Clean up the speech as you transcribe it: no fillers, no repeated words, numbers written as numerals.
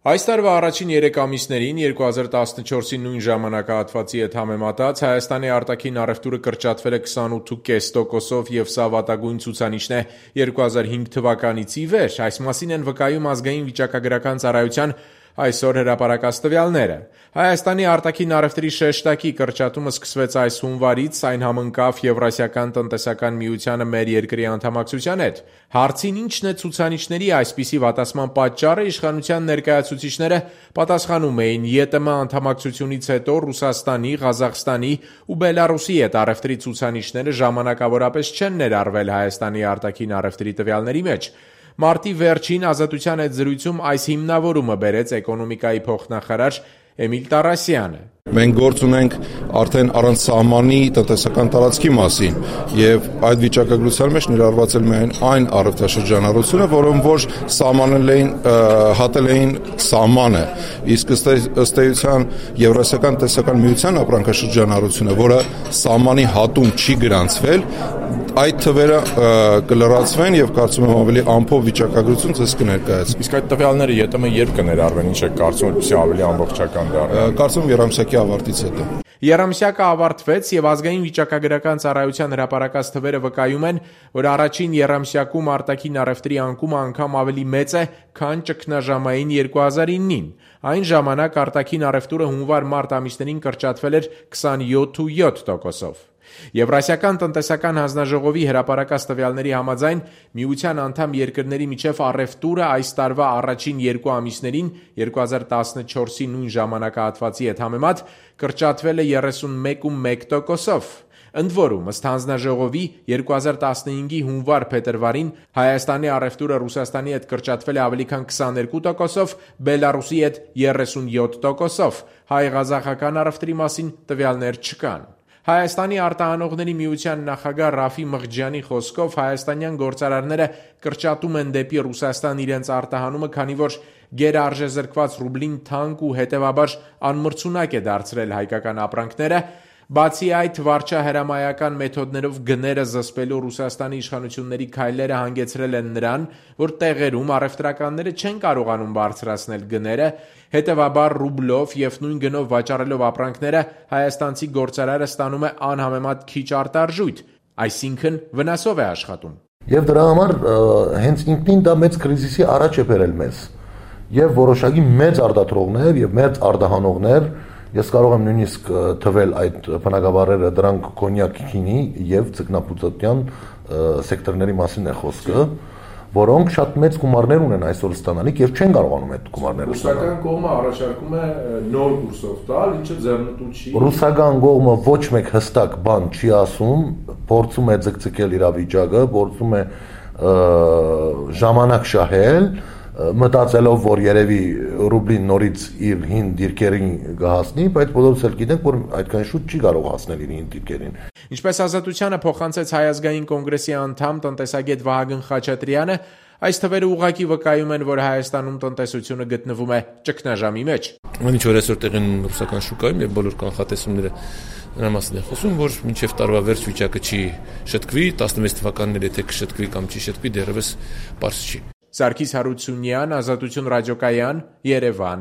Այս տարվա առաջին 3 ամիսներին 2014-ի նույն ժամանակահատվածի հետ համեմատած Հայաստանի արտաքին առևտուրը կրճատվել է 28.5%-ով և սա վատագույն ցուցանիշն է 2005 թվականից ի վեր, այս մասին են վկայում ազգային վիճակագրական ծառայության այսօր հրապարակած տվյալները։ Հայաստանի արտաքին առևտրի շեշտակի կրճատումը սկսվեց այս հունվարից, այն համընկավ Եվրասիական տնտեսական միությանը մեր երկրի անդամակցության հետ։ Հարցին ինչն է ցուցանիշների այսպիսի վատացման պատճառը, իշխանության ներկայացուցիչները պատասխանում էին ԵՏՄ անդամակցությունից հետո Ռուսաստանի, Ղազախստանի ու Բելարուսի հետ առևտրի ցուցանիշները ժամանակավորապես չեն ներառվել Հայաստանի արտաքին առևտրի տվյալների մեջ։ Մարտի վերջին Ազատության հետ զրույցում այս հիմնավորումը բերեց էկոնոմիկայի փոխնախարար Էմիլ Տարասյանը։ Մենք գործ ունենք արդեն առանց սահմանի տնտեսական տարածքի մասին եւ այդ վիճակագրության մեջ ներառված էլ միայն այն առևտրաշրջանառությունը, որոնք որ սահմանել էին հատել էին սահմանը, իսկ ըստ էության Եվրասիական տնտեսական միության ապրանքաշրջանառությունը, որը սահմանի հատում չի գրանցվել, այդ թվերը կլրացվեն եւ կարծում եմ ավելի ամփոփ վիճակագրություն ցես կներկայացվի։ Իսկ այդ տվյալները ԵՏՄ երբ կներառվեն, ինչ եք կարծում, որպեսզի ավելի ամբողջական դառնա։ Կարծում երամսյակի ավարտից հետո։ Երամսյակը ավարտվեց եւ ազգային վիճակագրական ծառայության հրապարակած թվերը վկայում են, որ առաջին երամսյակում արտաքին առևտրի անկումը անգամ ավելի մեծ է, քան ճգնաժամային 2009-ին։ Այն ժամանակ արտաքին առևտուրը հունվար-մարտ ամիսներին կրճատվել էր 27.7%-ով։ Եվրասիական տնտեսական հանձնաժողովի հրապարակած տվյալների համաձայն միության անդամ երկրների միջև առևտուրը այս տարվա առաջին 2 ամիսներին 2014-ի նույն ժամանակահատվածի հետ համեմատ կրճատվել է 31.1%-ով։ Ընդ որում, ըստ հանձնաժողովի 2015-ի հունվար-փետրվարին Հայաստանի առևտուրը Ռուսաստանի հետ կրճատվել է ավելի քան 22%-ով, Բելարուսի հետ 37%-ով։ Հայ-ղազախական առևտրի մասին տվյալներ չկան։ Հայաստանի արտահանողների միության նախագահ Ռաֆի Մղջյանի խոսքով հայաստանյան գործարարները կրճատում են դեպի Ռուսաստան իրենց արտահանումը, քանի որ գերարժեզրկված ռուբլին թանկ ու հետևաբար անմրցունակ է դարձրել հայկական ապրանքները։ Բացի այդ, վարչահրամայական մեթոդներով գները զսպելու Ռուսաստանի իշխանությունների քայլերը հանգեցրել են նրան, որ տեղերում առևտրականները չեն կարողանում բարձրացնել գները, հետևաբար ռուբլով եւ նույն գնով վաճառելով ապրանքները հայաստանցի գործարարը ստանում է անհամեմատ քիչ արտարժույթ, այսինքն վնասով է աշխատում։ Եվ դրա համար հենց ինքնին դա մեծ կրիզիսի առաջ է բերել մեզ։ Եվ որոշակի մեծ արտադրողներ եւ մեծ արտահանողներ, ես կարող եմ նույնիսկ թվել այդ բնակավարերը, դրանք կոնյակ, քինի եւ ձկնապուծոտյան սեկտորների մասին է խոսքը, որոնք շատ մեծ գումարներ ունեն այսօր ստանալիք եւ չեն կարողանում այդ գումարները ստանալ։ Ռուսական կողմը առաջարկում է նոր կուրսով տալ, ինչը ձեռնտու չի։ Ռուսական կողմը ոչ մեկ հստակ բան չի ասում, փորձում է ձգձգել իրավիճակը, փորձում է ժամանակ շահել, մտածելով, որ երևի ռուբլին նորից իր հին դիրքերին կհասնի, բայց բոլորս էլ գիտենք, որ այդքան շուտ չի կարող հասնել իր հին դիրքերին։ Ինչպես Ազատությանը փոխանցեց Հայ ազգային կոնգրեսի անդամ տնտեսագետ Վահագն Խաչատրյանը, այս թվերը ուղղակի վկայում են, որ Հայաստանում տնտեսությունը գտնվում է ճգնաժամի մեջ։ Ինչ որ այսօր տեղին ռուսական շուկայում եւ բոլոր կանխատեսումները նրա մասին է խոսում, որ մինչեւ տարվա վերջ վիճակը չի շտկվի, 16 թվականներ եթե կշտկվի կամ չի շտկվի, դեռևս պարզ չի։ Սարգիս Հարությունյան, Ազատություն ռադիոկայան, Երևան։